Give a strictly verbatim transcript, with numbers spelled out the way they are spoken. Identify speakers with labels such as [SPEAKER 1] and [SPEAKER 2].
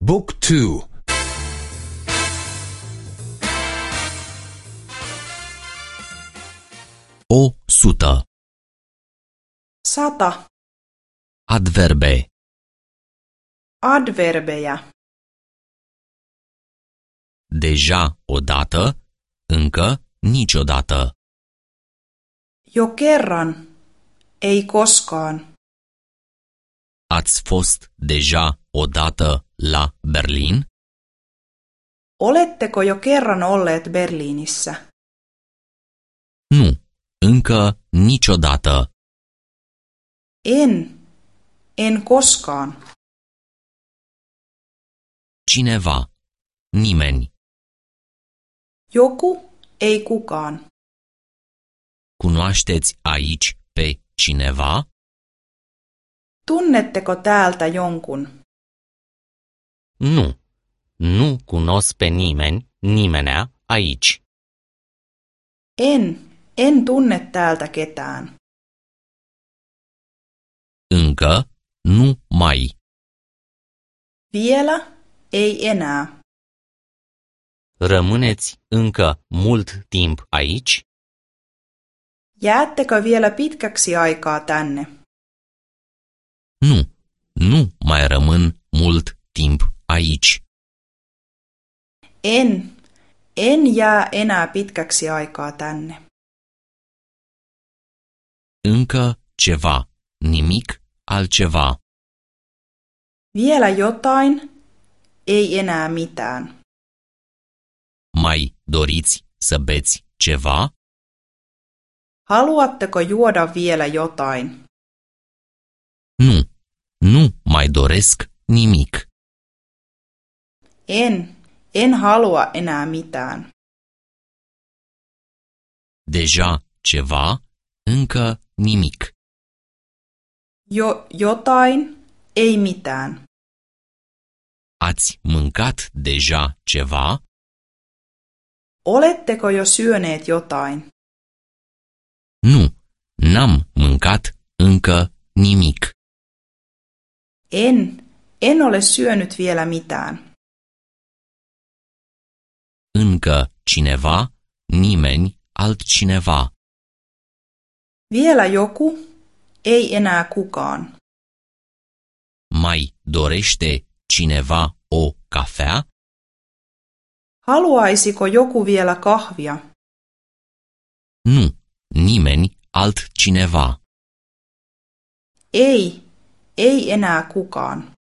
[SPEAKER 1] Book two.
[SPEAKER 2] O sută.
[SPEAKER 3] Sata.
[SPEAKER 2] Adverbe.
[SPEAKER 3] Adverbejä.
[SPEAKER 2] Deja odată, încă niciodată.
[SPEAKER 3] Jo kerran, ei koskaan.
[SPEAKER 2] Ați fost deja odată la Berlin?
[SPEAKER 3] Oletteko jo kerran olleet Berliinissä?
[SPEAKER 2] Nu, încă niciodată.
[SPEAKER 3] En, en koskaan.
[SPEAKER 2] Cineva, nimeni.
[SPEAKER 3] Joku, ei kukaan.
[SPEAKER 2] Cunoașteți aici pe cineva?
[SPEAKER 3] Tunnetteko täältä jonkun?
[SPEAKER 2] Nu, nu cunosc pe nimeni, nimenea aici.
[SPEAKER 3] En, en tunne täältä ketään.
[SPEAKER 2] Încă, nu mai.
[SPEAKER 3] Vielä, ei enää.
[SPEAKER 2] Rămâneți încă mult timp aici?
[SPEAKER 3] Jäättekö vielä pitkäksi aikaa tänne?
[SPEAKER 2] Nu, nu mai rămân mult timp aici.
[SPEAKER 3] En, en jää enää pitkäksi aikaa tänne.
[SPEAKER 2] Încă ceva, nimic altceva.
[SPEAKER 3] Vielä jotain, ei enää mitään.
[SPEAKER 2] Mai doriți să beți ceva?
[SPEAKER 3] Haluatteko juoda vielä jotain?
[SPEAKER 2] Nu, nu mai doresc nimic.
[SPEAKER 3] En, en halua enää mitään.
[SPEAKER 2] Deja ceva, încă nimic.
[SPEAKER 3] Jo jotain, ei mitään.
[SPEAKER 2] Ați mâncat deja ceva?
[SPEAKER 3] Oletteko jo syöneet jotain?
[SPEAKER 2] Nu, n-am mâncat încă nimic.
[SPEAKER 3] En, en ole syönyt vielä mitään.
[SPEAKER 2] Încă cineva, nimeni altcineva.
[SPEAKER 3] Vielä joku, ei enää kukaan.
[SPEAKER 2] Mai dorește cineva o cafea?
[SPEAKER 3] Haluaisiko joku vielä kahvia?
[SPEAKER 2] Nu, nimeni altcineva.
[SPEAKER 3] Ei, ei enää kukaan.